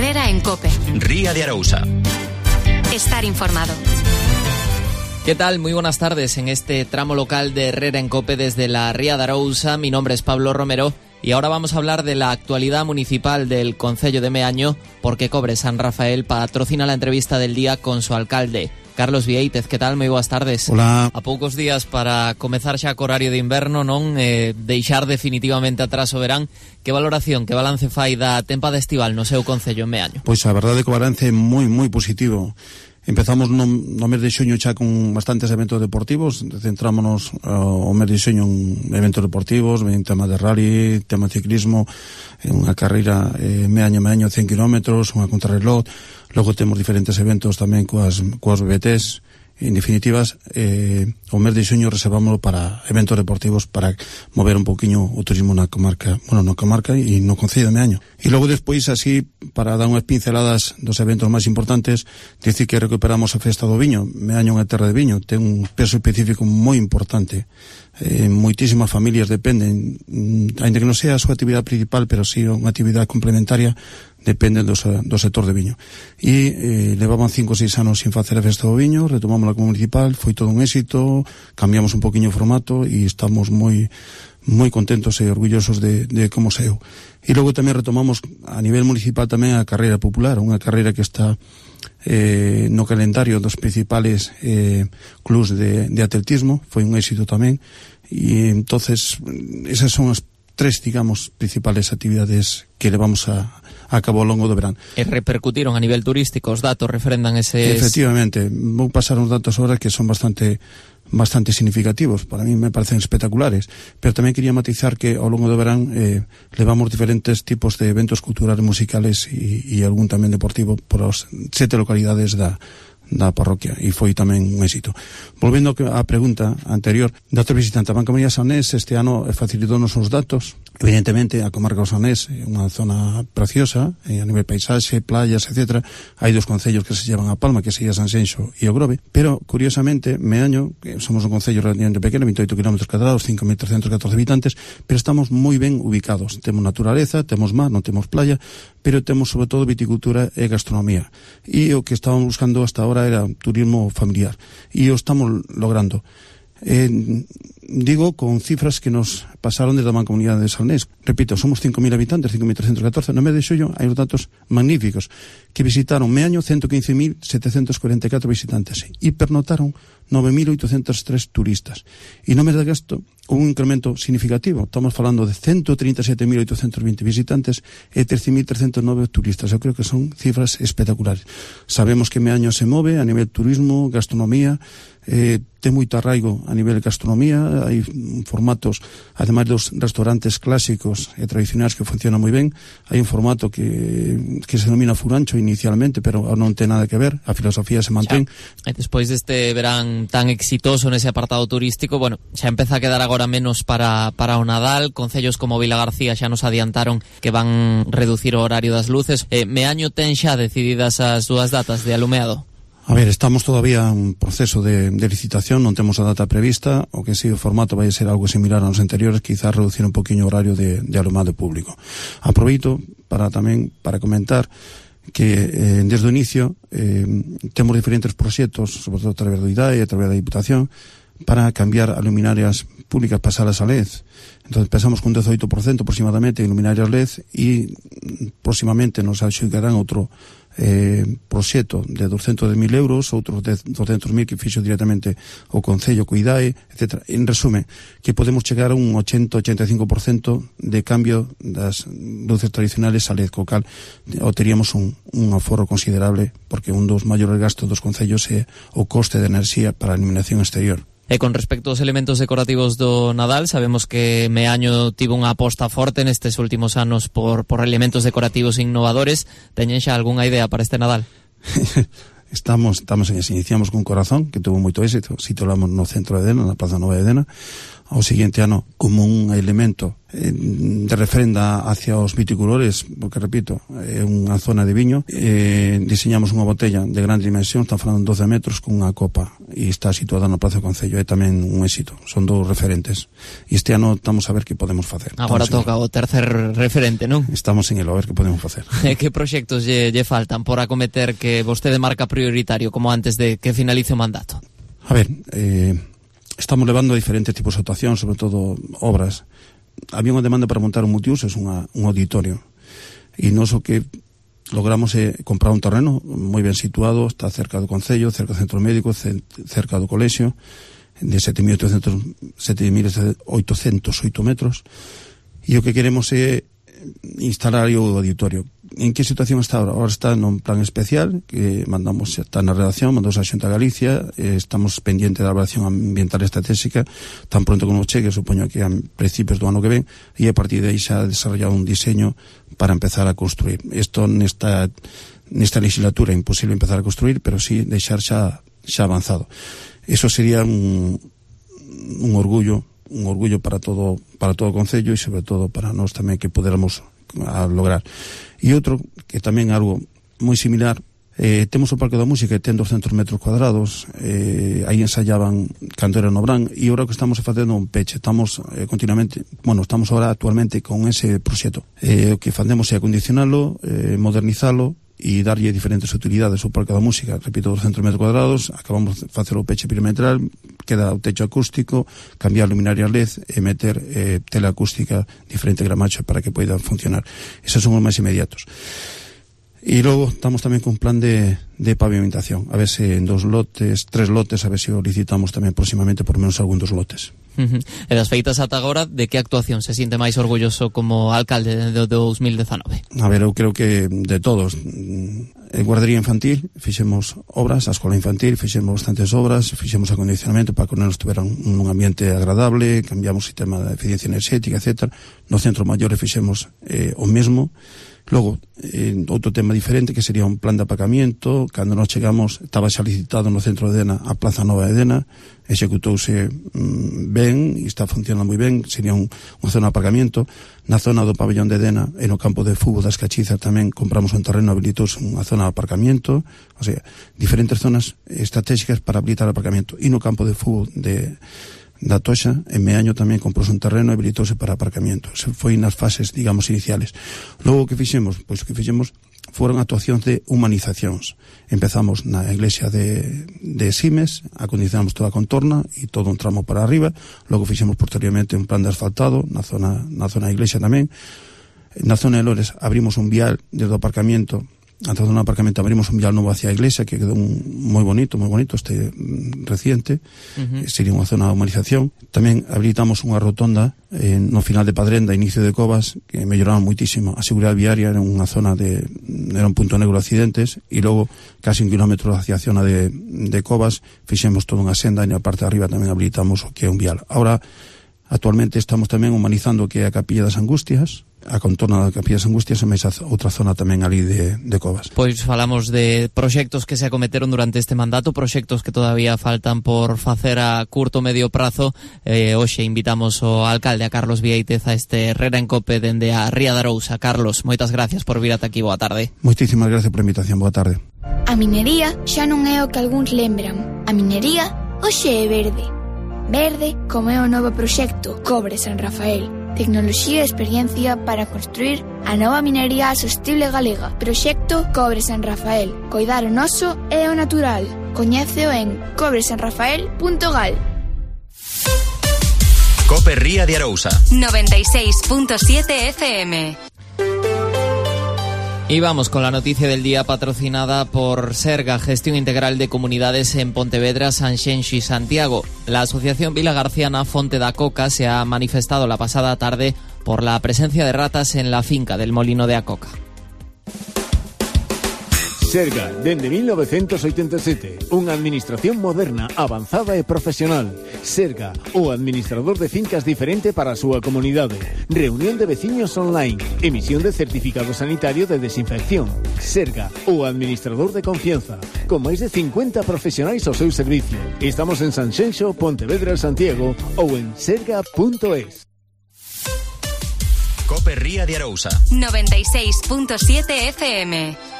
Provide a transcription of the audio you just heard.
Herrera en COPE. Ría de Arousa. Estar informado. ¿Qué tal? Muy buenas tardes en este tramo local de Herrera en COPE desde la Ría de Arousa. Mi nombre es Pablo Romero y ahora vamos a hablar de la actualidad municipal del concello de Meaño, porque Cobre San Rafael patrocina la entrevista del día con su alcalde, Carlos Vieitez. ¿Qué tal? Moi boas tardes. Hola. A poucos días para comezar xa co horario de inverno, non? Deixar definitivamente atrás o verán. Que valoración, que balance fai da tempada estival no seu concello en Meaño? Pois a verdade é que o balance é moi positivo. Empezamos no mes de xuño xa con bastantes eventos deportivos. Centrámonos o mes de xuño en eventos deportivos, en temas de rally, tema de ciclismo, unha carreira Meaño 100 km, unha contrarreloj. Logo temos diferentes eventos tamén coas BBTs. En definitivas, o mes de xuño reservámoslo para eventos deportivos, para mover un poquinho o turismo na comarca e no concello de Meaño. E logo despois, así, para dar unhas pinceladas dos eventos máis importantes, dicir que recuperamos a festa do viño. Meaño é unha terra de viño, ten un peso específico moi importante. Moitísimas familias dependen, ainda que non sea a súa actividade principal, pero sí unha actividade complementaria, dependen do sector de viño. E levaban 5 ou 6 anos sin facer a festa do viño, retomamos la como municipal, foi todo un éxito, cambiamos un poquinho o formato e estamos moi contentos e orgullosos de como saiu. E logo tamén retomamos a nivel municipal tamén a carreira popular, unha carreira que está no calendario dos principales clubs de atletismo, foi un éxito tamén, e entonces esas son as tres, digamos, principales actividades que levamos a cabo ao longo do verán. E repercutiron a nivel turístico, os datos refrendan eses... Efectivamente, vou pasar uns datos ahora que son bastante significativos, para mí me parecen espectaculares, pero tamén quería matizar que ao longo do verán levamos diferentes tipos de eventos culturales, musicales e algún tamén deportivo por as 7 localidades da parroquia, e foi tamén un éxito. Volvendo á pregunta anterior, datos visitantes, a Banca María Saonés este ano facilitou-nos os datos. Evidentemente, a comarca do Saonés é unha zona preciosa, a nivel paisaxe, playas, etc. Hai dos concellos que se llevan a palma, que sería Sanxenxo e o Grove, pero, curiosamente, Meaño, que somos un concello relativamente pequeno, 28 km cadrados, 5.314 habitantes, pero estamos moi ben ubicados. Temos naturaleza, temos mar, non temos playa, pero temos, sobre todo, viticultura e gastronomía. E o que estábamos buscando hasta ahora era turismo familiar, e o estamos logrando. Digo con cifras que nos pasaron desde a Mancomunidade de Salnés. Repito, somos 5.000 habitantes, 5.314. No mes de xullo hai uns datos magníficos, que visitaron Meaño 115.744 visitantes e pernotaron 9.803 turistas. E no mes de agosto un incremento significativo, estamos falando de 137.820 visitantes e 13.309 turistas. Eu creo que son cifras espectaculares. Sabemos que Meaño se move a nivel turismo, gastronomía, ten moito arraigo a nivel gastronomía, hai formatos, ademais dos restaurantes clásicos e tradicionais que funcionan moi ben, hai un formato que se denomina furancho inicialmente, pero non ten nada que ver, a filosofía se mantén. E despois deste verán tan exitoso nese apartado turístico, bueno, xa empeza a quedar agora menos para o Nadal. Concellos como Vilagarcía xa nos adiantaron que van reducir o horario das luces. Meaño ten xa decididas as súas datas de alumeado? A ver, estamos todavía en proceso de licitación, non temos a data prevista, o que si o formato vai ser algo similar aos anteriores, quizás reducir un poquinho o horario de alumado público. Aproveito para comentar que desde o inicio temos diferentes proxectos, sobre todo a través do IDAE e a través da Diputación, para cambiar a luminarias públicas, pasalas a LED. Entón, pensamos con 18% aproximadamente en luminarias LED e próximamente nos axudarán outro proxecto de 200.000 euros, outros de 200.000 que fixo directamente o Concello, Cuidae, etc. En resumen, que podemos chegar a un 80-85% de cambio das luces tradicionales a LED, co cal teríamos un aforro considerable, porque un dos maiores gastos dos concellos é o coste de enerxía para a iluminación exterior. E con respecto aos elementos decorativos do Nadal, sabemos que Meaño tivo unha aposta forte nestes últimos anos por elementos decorativos innovadores. Teñen xa algunha idea para este Nadal? Estamos en eso. Iniciamos con Corazón, que tuvo moito éxito. Situamos no centro de Dena, na Plaza Nova de Dena. ao seguinte ano como un elemento de referenda hacia os viticultores, porque repito, é unha zona de viño. Diseñamos unha botella de gran dimensión, están falando 12 metros con unha copa, e está situada no Prazo do Concello. É tamén un éxito, son dous referentes, e este ano estamos a ver que podemos facer. Agora toca o tercer referente, non? Estamos en el, a ver que podemos facer. Que proxectos lle faltan por acometer que vostede marca prioritario como antes de que finalice o mandato? A ver, estamos levando diferentes tipos de actuacións, sobre todo obras. Había unha demanda para montar un multiusos, un auditorio, e nos o que logramos é comprar un terreno moi ben situado, está cerca do Concello, cerca do centro médico, cerca do colexio, de 7.808 metros, e o que queremos é instalar o auditorio. En que situación está ahora? Ahora está nun plan especial que mandamos, está na redacción, mandamos a Xunta de Galicia, estamos pendientes da evaluación ambiental estratégica, tan pronto como chegue, supoño que a principios do ano que ven, e a partir de aí xa desarrollado un diseño para empezar a construir. Isto nesta legislatura é imposible empezar a construir, pero sí deixar xa avanzado. Eso sería un orgullo para todo o Concello, e sobre todo para nós tamén que poderamos lograr. E outro, que tamén é algo moi similar, temos o Parque da Música, que ten 200 metros cuadrados, aí ensayaban cando era no Brán, e agora que estamos facendo un peche, estamos estamos ahora actualmente con ese proxecto. O que facemos é acondicionalo, modernizalo, e darlle diferentes utilidades ao Parque da Música. Repito, 200 metros cuadrados, acabamos de facer o peche perimetral, queda o techo acústico, cambiar luminaria LED e meter tela acústica diferente gramacho para que poida funcionar. Esos son os máis inmediatos. E logo estamos tamén con un plan de pavimentación, a ver se en 3 lotes, a ver se o licitamos tamén próximamente por menos algún dos lotes. E das feitas ata agora, de que actuación se siente máis orgulloso como alcalde de 2019? A ver, eu creo que de todos. En guardería infantil fixemos obras, a escola infantil fixemos bastantes obras, fixemos acondicionamento para que os nenos tuveran un ambiente agradable, cambiamos o sistema de eficiencia enerxética, etc. No centro maior fixemos o mesmo. Logo, outro tema diferente que sería un plan de aparcamiento. Cando nós chegamos estaba xa licitado no centro de Dena a Plaza Nova de Dena, executouse ben e está funcionando moi ben, sería unha zona de aparcamiento. Na zona do pabellón de Dena e no campo de fútbol das Cachizas tamén compramos un terreno, habilitouse unha zona de aparcamiento, o sea, diferentes zonas estratégicas para habilitar o aparcamiento. E no campo de fútbol da Toxa, en Meaño tamén comprouse un terreno e habilitouse para aparcamiento. Se foi nas fases, digamos, iniciales. Logo, que fixemos? Pois o que fixemos foron actuacións de humanizacións. Empezamos na iglesia de Simes, acondicionamos toda a contorna e todo un tramo para arriba. Logo fixemos posteriormente un plan de asfaltado na zona da iglesia tamén. Na zona de Lores abrimos un vial desde o aparcamiento. Antes do aparcamento abrimos un vial novo hacia a iglesia, que quedou moi bonito este reciente. Sería unha zona de humanización. Tamén habilitamos unha rotonda no final de Padrenda, inicio de Covas, que melloraron muitísimo a seguridade viaria. Era unha zona era un punto negro de accidentes, e logo casi 1 kilómetro hacia a zona de Covas fixemos toda unha senda, e na parte de arriba tamén habilitamos o que é un vial. Ahora, actualmente estamos tamén humanizando o que é a Capilla das Angustias, a contorna da Capilla das Angustias, e máis outra zona tamén ali de Covas. Pois falamos de proxectos que se acometeron durante este mandato, proxectos que todavía faltan por facer a curto medio prazo. Hoxe invitamos o alcalde, a Carlos Viéitez, a este Herrera en Cope dende a Ría de Arousa. Carlos, moitas gracias por vir ata aquí, boa tarde. Moitísimas gracias por a invitación, boa tarde. A minería xa non é o que algúns lembran. A minería hoxe é verde. Verde como é o novo proxecto Cobre San Rafael. Tecnoloxía e experiencia para construir a nova minería sostible galega. Proxecto Cobre San Rafael. Coidar o noso e o natural. Coñéceo en cobresanrafael.gal. Cope Ría de Arousa 96.7 FM. Y vamos con la noticia del día, patrocinada por Serga, Gestión Integral de Comunidades en Pontevedra, Sanxenxo y Santiago. La Asociación Vila Garciana Fonte da Coca se ha manifestado la pasada tarde por la presencia de ratas en la finca del Molino de Acoca. Serga, dende 1987, unha administración moderna, avanzada e profesional. Serga, o administrador de fincas diferente para a súa comunidade. Reunión de veciños online, emisión de certificado sanitario de desinfección. Serga, o administrador de confianza, con máis de 50 profesionais ao seu servicio. Estamos en Sanxenxo, Pontevedra e Santiago ou en serga.es. Cope Ría de Arousa 96.7 FM.